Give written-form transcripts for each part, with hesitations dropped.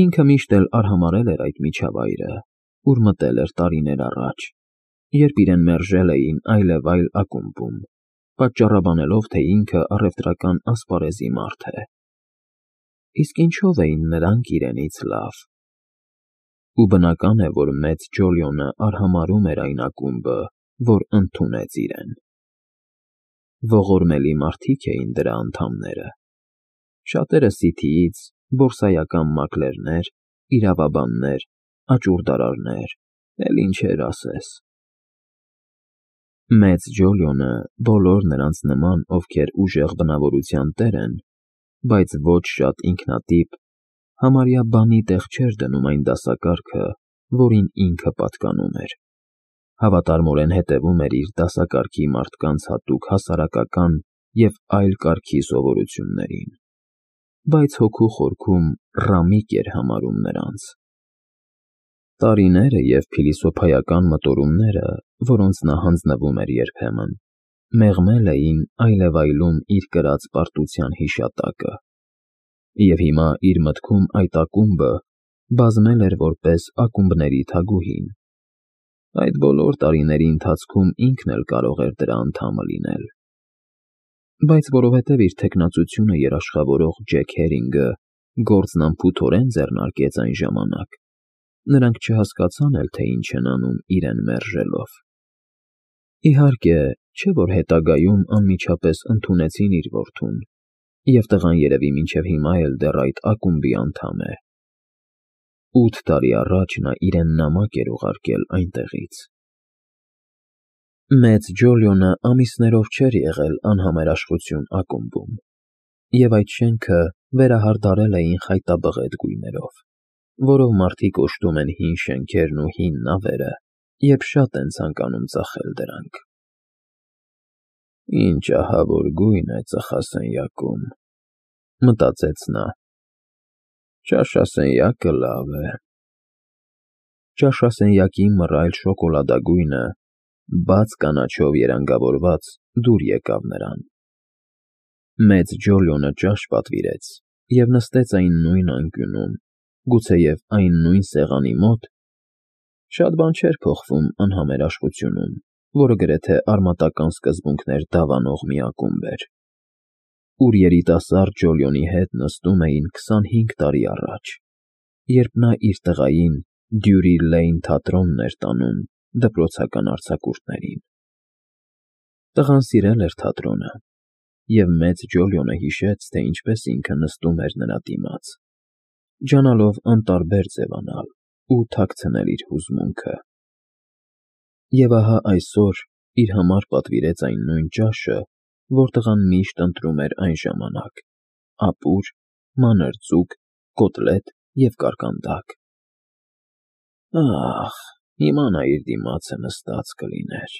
Ինքը միշտ էլ արհամարհել էր այդ միջավայրը, ուր մտել էր տարիներ առաջ, երբ իրեն մերժել էին այլևայլ ակումբում, պատճառաբանելով, թե ինքը առևտրական ասպարեզի մարդ է։ Իսկ ինչով էին նրանք իրենից լավ։ Ու բնական է, որ մեծ Ջոլիոնը արհամարհում էր այն ակումբը, որ ընդունեց իրեն։ Ողորմելի մարդիկ էին դրա անդամները։ Շատերը Սիթիից, բորսայական մակլերներ, իրավաբաններ, աճուրդարարներ, էլ ինչեր ասես։ Մեծ Ջոլիոնը, բոլոր նրանց նման, ովքեր ուժեղ բնավորության տեր են, բայց ոչ շատ ինքնատիպ, համարյա բանի տեղ չէր դնում այն դասակարգը, որին ինքը պատկանում էր։ Հավատարմորեն հետևում էր իր դասակարգի մարդկանց հատուկ հասարակական և այլ կարգի սովորություններին, բայց հոգու խորքում ռամիկ էր համարում նրանց։ Տարիները և փիլիսոփայական մտորումները, որոնց նա հանձնվում էր երբեմն, մեղմել էին այլևայլում իր կրած պարտության հիշատակը, և հիմա իր մտքում այդ ակումբը բազմել էր որպես ակումբների թագուհին։ Այդ բոլոր տարիների ընթացքում ինքն էլ կարող էր դրա անդամը լինել։ Բայց որովհետև իր թեկնածությունը երաշխավորող Ջեք Հերինգը գործն անփութորեն ձեռնարկեց այն ժամանակ, նրանք չհասկացան էլ, թե ինչ են անում իրեն մերժելով։ Իհարկե, չէ՞ որ հետագայում անմիջապես ընդունեցին իր որդուն, և տղան երևի մինչև հիմա էլ դեռ այդ ակումբի անդամ է։ 8 տարի առաջ նա իրեն նամակ էր ուղարկել այնտեղից։ Մեծ Ջոլիոնը ամիսներով չէր եղել անհամերաշխություն ակումբում, և այդ շենքը վերահարդարել էին խայտաբղետ գույներով, որով մարդիկ օժտում են հին շենքերն ու հին նավերը, երբ շատ են ցանկանում ծախել դրանք։ «Ինչ ահավոր գույն է ծխասենյակում», մտածեց նա։ «Ճաշասենյակը լավ է»։ Ճաշասենյակի մռայլ շոկոլադագույնը, բաց կանաչով երանգավորված, դուր եկավ նրան։ Մեծ Ջոլիոնը ճաշ պատվիրեց և նստեց այն նույն անկյունում, գուցեև այն նույն սեղանի մոտ։ Շատ բան չէր փոխվում անհամերաշխությունում, որը գրեթե արմատական սկզբունքներ դավանող մի ակումբ էր, ուր երիտասարդ Ջոլիոնի հետ նստում էին 25 տարի առաջ, երբ նա իր տղային Դյուրի Լեյն թատրոնն էր տանում դպրոցական արձակուրդներին։ Տղան սիրել էր թատրոնը, և մեծ Ջոլիոնը հիշեց, թե ինչպես ինքը նստում էր նրա դիմաց, ջանալով անտարբեր ձևանալ ու թաքցնել իր հուզմունքը։ Եվ ահա այսօր իր համար պատվիրեց այն նույն ճաշը, որ տղան միշտ ընտրում էր այն ժամանակ՝ ապուր, մանր ձուկ, կոտլետ և կարկանդակ։ Ախ, հիմա նա իր դիմացը նստած կլիներ։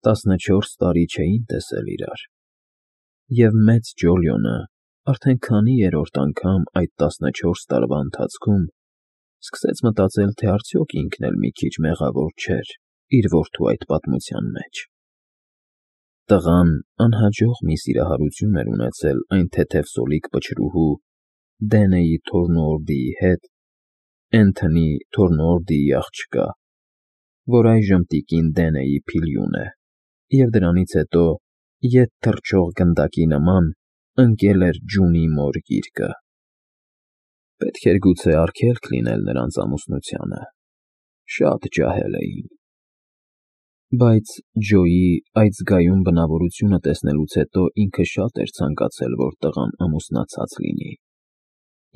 14 տարի չէին տեսել իրար, և մեծ Ջոլիոնը արդեն քանի երրորդ անգամ այդ 14 տարվա ընթացքում սկսեց մտածել, թե արդյոք ինքն էլ մի քիչ մեղավոր չէր իր որդու այդ պատմության մեջ։ Տղան անհաջող մի սիրահարություն էր ունեցել այն թեթևսոլիկ պչրուհու Դենեի Թորնուորդիի հետ, Էնթոնի Թորնուորդիի աղջկա, որ այժմ տիկին Դենեի փիլյուն է, և դրանից հետո, ետ թռչող գնդակի նման, ընկել էր ջունի մոր գիրկը։ Պետք էր գուցե արգելք լինել նրանց ամուսնությանը, շատ ջահել էին։ Բայց Ջոյի այդ զգայուն բնավորությունը տեսնելուց հետո ինքը շատ էր ցանկացել, որ տղան ամուսնացած լինի,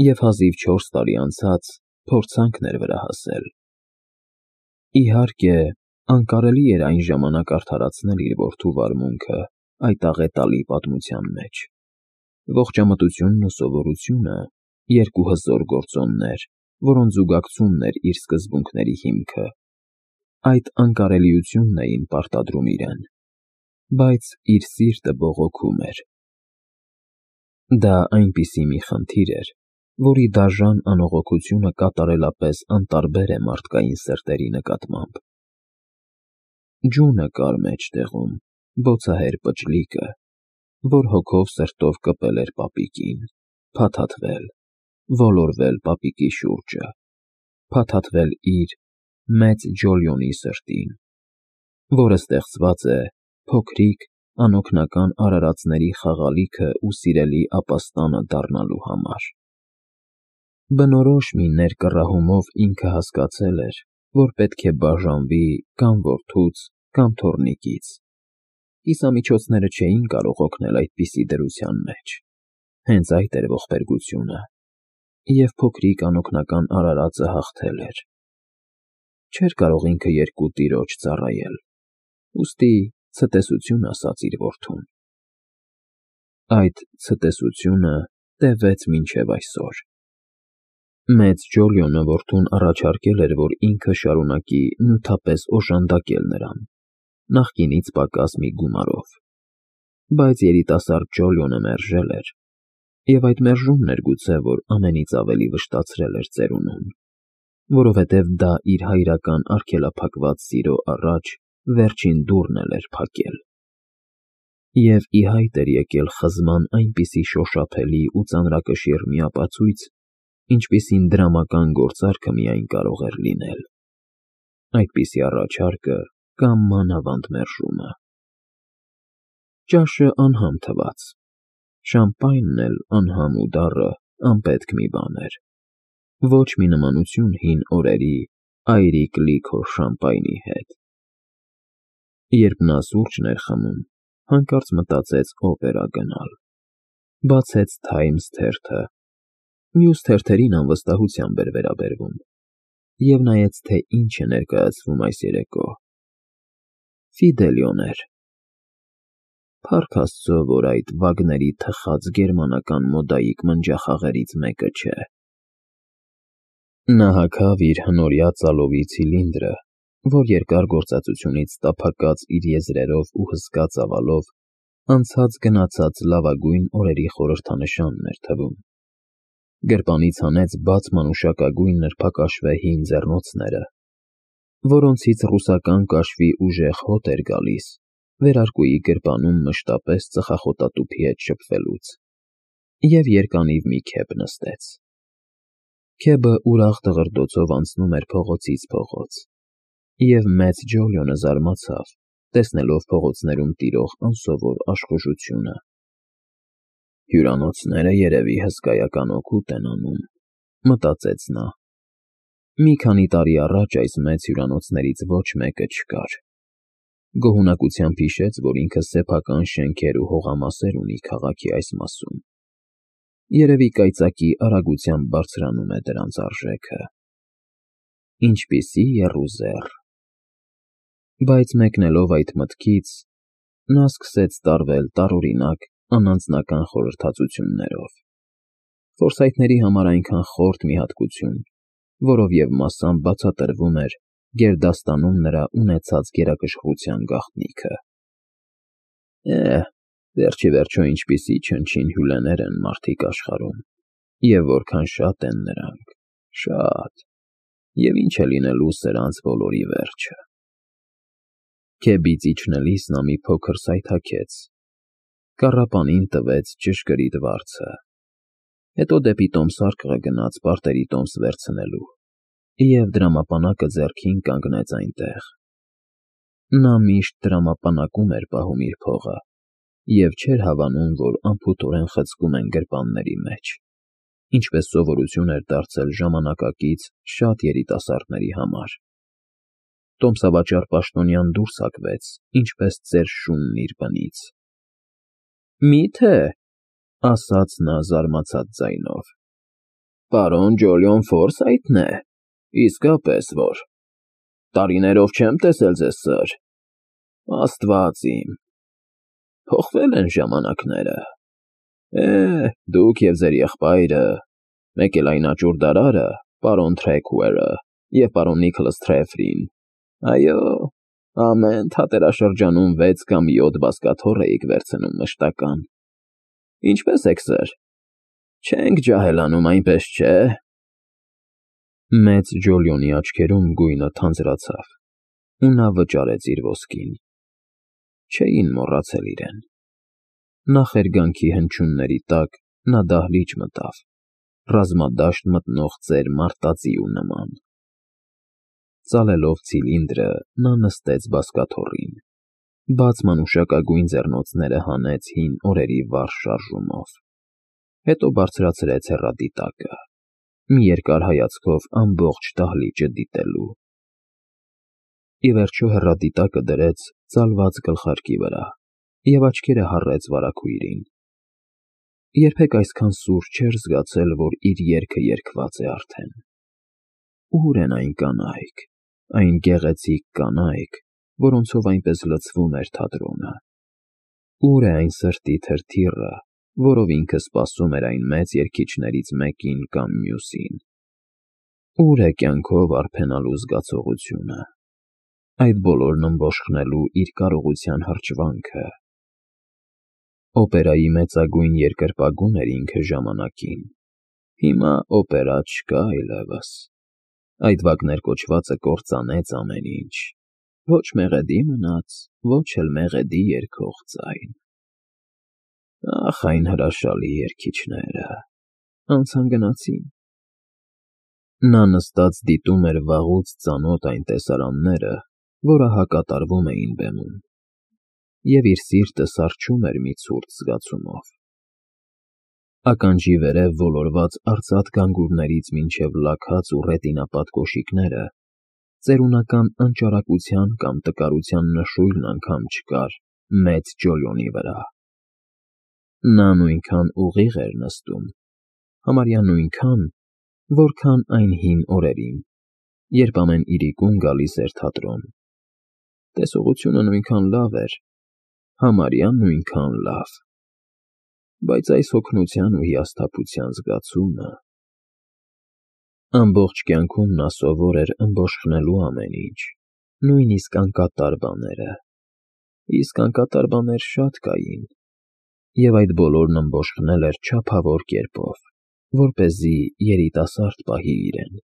և հազիվ 4 տարի անցած փորձանքն էր վրա հասել։ Իհարկե, անկարելի էր այն ժամանակ արդարացնել իր որդու վարմունքը այդ աղետալի պատմության մեջ։ Ողջամտությունն ու սովորությունը, երկու հզոր գործոններ, որոնց զուգակցումն էր իր սկզբունքների հիմքը, այդ անկարելիությունն էին պարտադրում իրեն, բայց իր սիրտը բողոքում էր։ Դա այնպիսի մի խնդիր էր, որի դաժան անողոքությունը կատարելապես անտարբեր է մարդկային սրտերի նկատմամբ։ Ջունը կար մեջտեղում, բոցահեր պճլիկը, որ հոգով սրտով կպել էր պապիկին, փաթաթվել, ոլորվել պապիկի շուրջը, փաթաթվել իր մեծ Ջոլիոնի սրտին, որը ստեղծված է փոքրիկ, անօգնական արարածների խաղալիքը ու սիրելի ապաստանը դառնալու համար։ Բնորոշ մի ներկռահումով ինքը հասկացել էր, որ պետք է բաժանվի կամ որդուց, կամ թոռնիկից։ Կիսամիջոցները չէին կարող օգնել այդպիսի դրության մեջ, հենց այդ էր ողբերգությունը, և փոքրիկ անօգնական արարածը հաղթել էր։ Չէր կարող ինքը երկու տիրոջ ծառայել, ուստի ցտեսություն ասաց իր որդուն։ Այդ ցտեսությունը տևեց մինչև այսօր։ Մեծ Ջոլիոնը որդուն առաջարկել էր, որ ինքը շարունակի նյութապես օժանդակել նրան, նախկինից պակաս մի գումարով, բայց երիտասարդ Ջոլիոնը մերժել էր, և այդ մերժումն էր գուցե, որ ամենից ավելի վշտացրել էր ծերունուն, որովհետև դա իր հայրական արգելափակված սիրո առաջ վերջին դուռն էր փակել։ Եվ ի հայտ էր եկել խզման այնպիսի շոշափելի ու ծանրակշիռ մի ապացույց, ինչպիսին դրամական գործարքը միայն կարող էր լինել, այդպիսի առաջարկը կամ մանավանդ մերժումը։ Ճաշը անհամ թվաց, շամպայնն էլ անհամ ու դառը անպետք մի բան էր, ոչ մի նմանություն հին օրերի այրիկ լիքոր շամպայնի հետ։ Երբ նա սուրճն էր խմում, հանկարծ մտածեց օպերա գնալ, բացեց Times թերթը, մյուս թերթերին անվստահությամբ էր վերաբերվում, և նայեց, թե ինչ է ներկայացվում այս երեկո։ Ֆիդելիոն էր։ Փառք Աստծո, որ այդ Վագների թխած գերմանական մոդայիկ մնջախաղերից մեկը չէ։ Նա հագավ իր հնորյա ծալովի ցիլինդրը, որ երկար գործածությունից տափակած իր եզրերով ու հսկա ծավալով անցած գնացած լավագույն օրերի խորհրդանշանն էր թվում։ Գրպանից հանեց բաց մանուշակագույն նրբակաշվե հին ձեռնոցները, որոնցից ռուսական կաշվի ուժեղ հոտ էր գալիս վերարկուի գրպանում մշտապես ծխախոտատուփի հետ շփվելուց, և երկանիվ մի քեփ նստեց։ Քեբը ուրախ դղրդոցով անցնում էր փողոցից փողոց, և մեծ Ջոլիոնը զարմացավ, տեսնելով փողոցներում տիրող անսովոր աշխուժությունը։ Հյուրանոցները երևի հսկայական օգուտ են անում, մտածեց նա։ Մի քանի տարի առաջ այս մեծ հյուրանոցներից ոչ մեկը չկար։ Գոհունակությամբ հիշեց, որ ինքը սեփական շենքեր ու հողամասեր ունի քաղաքի այս մասում։ Երևի կայծակի արագությամբ բարձրանում է դրանց արժեքը։ Ինչպիսի եռուզեռ։ Բայց մեկնելով այդ մտքից, նա սկսեց տարվել տարօրինակ անանձնական խորհրդածություններով։ Ֆորսայթների համար այնքան խորթ մի հատկություն, որով և մասամբ բացատրվում էր գերդաստանում նրա ունեցած գերակշռության գաղտնիքը։ Վերջիվերջո ինչպիսի չնչին հյուլեներ են մարդիկ աշխարհում, և որքան շատ են նրանք, շատ, և ինչ է լինելու սրանց բոլորի վերջը։ Քեբից իջնելիս նա մի փոքր սայթաքեց, կառապանին տվեց ճշգրիտ վարձը, հետո դեպի տոմսարկղը գնաց պարտերի տոմս վերցնելու և դրամապանակը ձեռքին կանգնեց այնտեղ։ Նա միշտ դրամապանակում էր պահում իր փողը և չէր հավանում, որ անփութորեն խցկում են գրպանների մեջ, ինչպես սովորություն էր դարձել ժամանակակից շատ երիտասարդների համար։ Տոմսավաճառ պաշտոնյան դուրս հակվեց, ինչպես ծեր շունն իր բնից։ Մի՞թե, ասաց նա զարմացած ձայնով, պարոն Ջոլիոն Ֆորսայթն է, իսկապես որ, տարիներով չեմ տեսել ձեզ, սըր, Աստված իմ, փոխվել են ժամանակները, դուք և ձեր եղբայրը, մեկ էլ այն աճուրդարարը, պարոն Թրեքուերը և պարոն Նիքլս Թրեֆրին, այո, ամեն թատերաշրջանում 6 կամ 7 բազկաթոռ էիք վերցնում մշտական։ Ինչպե՞ս եք, սըր, չենք ջահելանում, այնպես չէ։ Մեծ Ջոլիոնի աչքերում գույնը թանձրացավ, ու նա վճարեց իր ոսկին։ Չէին մոռացել իրեն։ Նախերգանքի հնչյունների տակ նա դահլիճ մտավ, ռազմադաշտ մտնող ծեր մարտածիու նման։ Ծալելով ցիլինդրը, նա նստեց բազկաթոռին, բաց մանուշակագույն ձեռնոցները հանեց հին օրերի վառ շարժումով, հետո բարձրացրեց հեռադիտակը, մի երկար հայացքով ամբողջ դահլիճը դիտելու։ Ի վերջո հեռադիտակը դրեց ծալված գլխարկի վրա և աչքերը հառեց վարագույրին։ Երբեք այսքան սուր չէր զգացել, որ իր երգը երգված է արդեն։ Ուր են այն կանայք, այն գեղեցիկ կանայք, որոնցով այնպես լցվում էր թատրոնը։ Ուր է այն սրտի թրթիռը, որով ինքը սպասում էր այն մեծ երգիչներից մեկին կամ մյուսին։ Ուր է կյանքով արփենալու զգացողությունը, այդ բոլորն ըմբոշխնելու իր կարողության հրճվանքը։ Օպերայի մեծագույն երկրպագուն էր ինքը ժամանակին, հիմա օպերա չկա այլևս։ Այդ Վագներ կոչվածը կործանեց ամեն ինչ, ոչ մեղեդի մնաց, ոչ էլ մեղեդի երգող ձայն։ Ախ, այն հրաշալի երգիչները, անցան գնացին։ Նա նստած դիտում էր վաղուց ծանոթ այն տեսարանները, որը հակատարվում էին բեմում, և իր սիրտը սառչում էր մի ցուրտ զգացումով։ Ականջի վերև ոլորված արծաթ գանգուրներից մինչև լաքած ու ռետինապատ կոշիկները, ծերունական անճարակության կամ տկարության նշույլն անգամ չկար մեծ Ջոլիոնի վրա։ Նա նույնքան ուղիղ էր նստում, համարյա նույնքան, որքան այն հին օրերին, երբ ամեն իրիկուն գալիս էր թատրոն։ Տեսողությունը նույնքան լավ էր, համարյա նույնքան լավ, բայց այս հոգնության ու հիասթափության զգացումը… Ամբողջ կյանքում նա սովոր էր ըմբոշխնելու ամեն ինչ, նույնիսկ անկատար բաները, իսկ անկատար բաներ շատ կային, և այդ բոլորն ըմբոշխնել էր չափավոր կերպով, որպեսզի երիտասարդ պահի իրեն,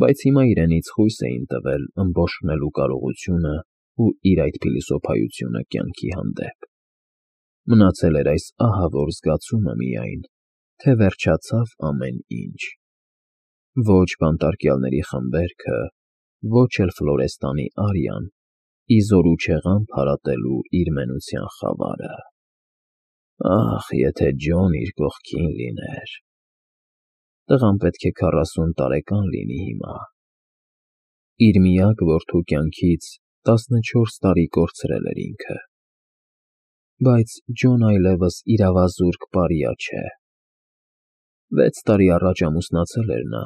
բայց հիմա իրենից խույս էին տվել ըմբոշխնելու կարողությունը ու իր այդ փիլիսոփայությունը կյանքի հանդեպ։ Մնացել էր այս ահավոր զգացումը միայն, թե վերջացավ ամեն ինչ։ Ոչ բանտարկյալների խմբերքը, ոչ էլ Ֆլորեստանի արիան, ի զորու չեղան փարատելու իր մենության խավարը։ Ախ, եթե Ջոն իր կողքին լիներ… Տղան պետք է 40 տարեկան լինի հիմա։ Իր միակ որդու կյանքից 14 տարի կորցրել էր ինքը։ Բայց Ջոն այլևս իրավազուրկ պարիա չէ։ 6 տարի առաջ ամուսնացել էր նա։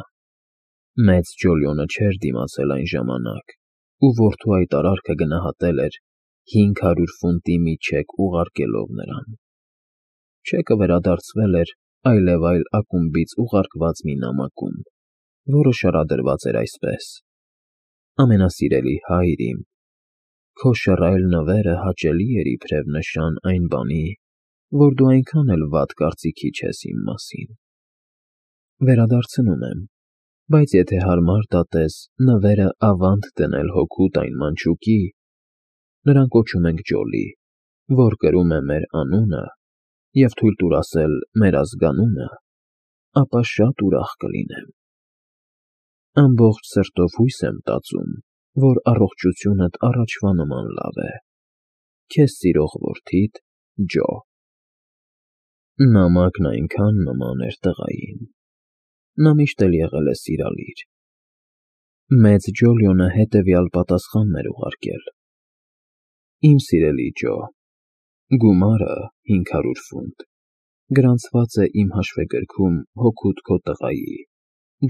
Մեծ Ջոլիոնը չէր դիմացել այն ժամանակ, ու որդու այդ արարքը գնահատել էր 500 ֆունտի մի չեք ուղարկելով նրան։ Չեկը վերադարձվել էր այլևայլ ակումբից ուղարկված մի նամակում, որը շարադրված էր այսպես. «Ամենասիրելի հայր իմ, քո շռայլ նվերը հաճելի էր իբրև նշան այն բանի, որ դու այնքան էլ վատ կարծիքի չես իմ մասին։ Վերադարձնում եմ, բայց եթե հարմար դատես նվերը ավանդ դնել հօգուտ այն մանչուկի, նրան կոչում ենք Ջոլի, որ կրում է մեր անունը, և թույլ տուր ասել մեր ազգանունը, ապա շատ ուրախ կլինեմ։ Ամբողջ սրտով հույս եմ տածում, որ առողջությունդ առաջվա նման լավ է։ Քեզ սիրող որդիդ Ջո»։ Նամակն այնքան նման էր տղային։ Նա միշտ էլ եղել է սիրալիր։ Մեծ Ջոլիոնը հետևյալ պատասխանն էր ուղարկել. «Իմ սիրելի Ջո, գումարը 500 ֆունտ գրանցված է իմ հաշվեգրքում հօգուտ քո տղայի՝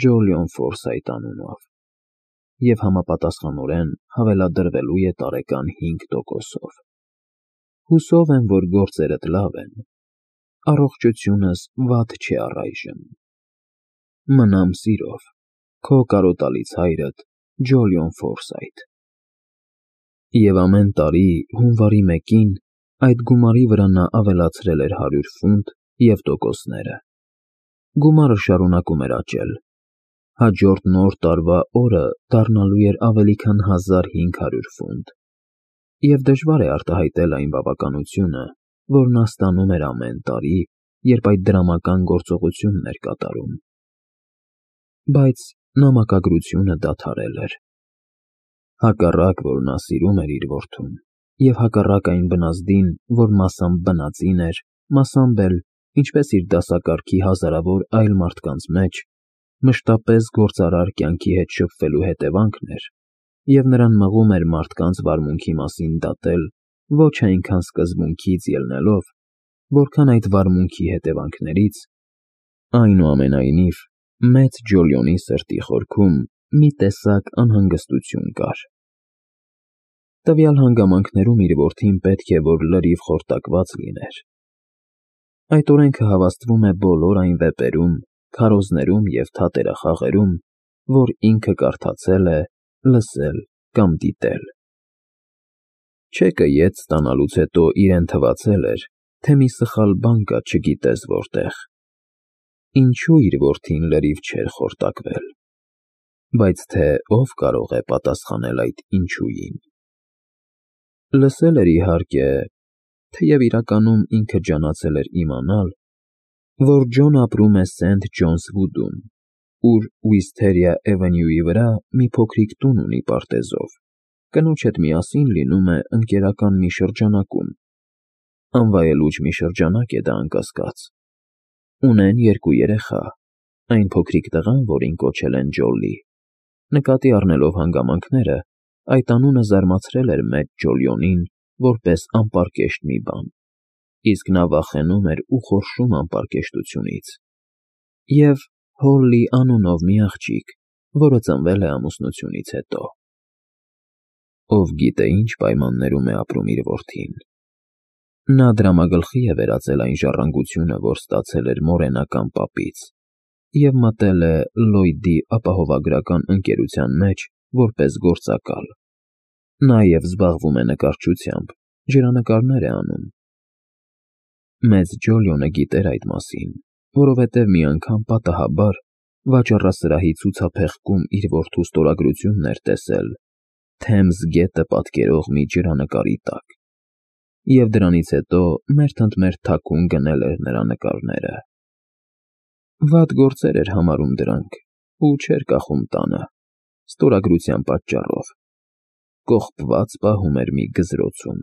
Ջոլիոն Ֆորսայթ անունով և համապատասխանորեն հավելադրվելու է տարեկան 5%-ով։ Հուսով եմ, որ գործերդ լավ են, առողջությունս վատ չէ առայժմ։ Մնամ սիրով, քո կարոտալից հայրդ Ջոլիոն Ֆորսայթ»։ Եվ ամեն տարի հունվարի 1-ին այդ գումարի վրա նա ավելացրել էր 100 ֆունտ և տոկոսները։ Գումարը շարունակում էր աճել։ Հաջորդ Նոր տարվա օրը դառնալու էր ավելի քան 1500 ֆունտ, և դժվար է արտահայտել այն բավականությունը, որ նա ստանում էր ամեն տարի երբ այդ դրամական գործողությունն էր կատարում։ Բայց նամակագրությունը դադարել էր։ Հակառակ, որ նա սիրում էր իր որդուն, և հակառակ այն բնազդին, որ մասամբ բնածին էր, մասամբ էլ, ինչպես իր դասակարգի հազարավոր այլ մարդկանց մեջ, մշտապես գործարար կյանքի հետ շփվելու հետևանքն էր, և նրան մղում էր մարդկանց վարմունքի մասին դատել ոչ այնքան սկզբունքից ելնելով, որքան այդ վարմունքի հետևանքներից, այնուամենայնիվ, մեծ Ջոլիոնի սրտի խորքում մի տեսակ անհանգստություն կար։ Տվյալ հանգամանքներում իր որդին պետք է որ լրիվ խորտակված լիներ։ Այդ օրենքը հավաստվում է բոլոր այն վեպերում, քարոզներում և թատերախաղերում, որ ինքը կարդացել է, լսել կամ դիտել։ Չեկը ետ ստանալուց հետո իրեն թվացել էր, թե մի սխալ բան կա չգիտես որտեղ։ Ինչու իր որդին լրիվ չէր խորտակվել։ Բայց թե ով կարող է պատասխանել այդ ինչույին։ Լսել էր իհարկե, թեև իրականում ինքը ջանացել էր իմանալ, որ Ջոն ապրում է Սենթ Ջոնս Վուդում, ուր Ուիսթերիա Էվենյուի վրա մի փոքրիկ տուն ունի պարտեզով, կնոջ հետ միասին լինում է ընկերական մի շրջանակում, անվայելուչ մի շրջանակ է դա անկասկած, ունեն 2 երեխա, այն փոքրիկ տղան, որին կոչել են Ջոլլի, նկատի առնելով հանգամանքները, այդ անունը զարմացրել էր մեծ Ջոլիոնին որպես անպարկեշտ մի բան, իսկ նա վախենում էր ու խորշում անպարկեշտությունից, և Հոլլի անունով մի աղջիկ, որը ծնվել է ամուսնությունից հետո։ Ով գիտե ինչ պայմաններում է ապրում իր որդին։ Նա դրամագլխի է վերածել այն ժառանգությունը, որ ստացել էր մորենական պապից, և մտել է Լլոյդի ապահովագրական ընկերության մեջ որպես գործակալ։ Նաև զբաղվում է նկարչությամբ, ջրանկարներ է անում։ Մեծ Ջոլիոնը գիտեր այդ մասին, որովհետև մի անգամ պատահաբար վաճառասրահի ցուցափեղկում իր որդու ստորագրությունն էր տեսել Թեմզ գետը պատկերող մի ջրանկարի տակ, և դրանից հետո մերթ ընդ մերթ թաքուն գնել էր նրա նկարները։ Վատ գործեր էր համարում դրանք ու չէր կախում տանը, ստորագրության պատճառով, կողպված պահում էր մի գզրոցում։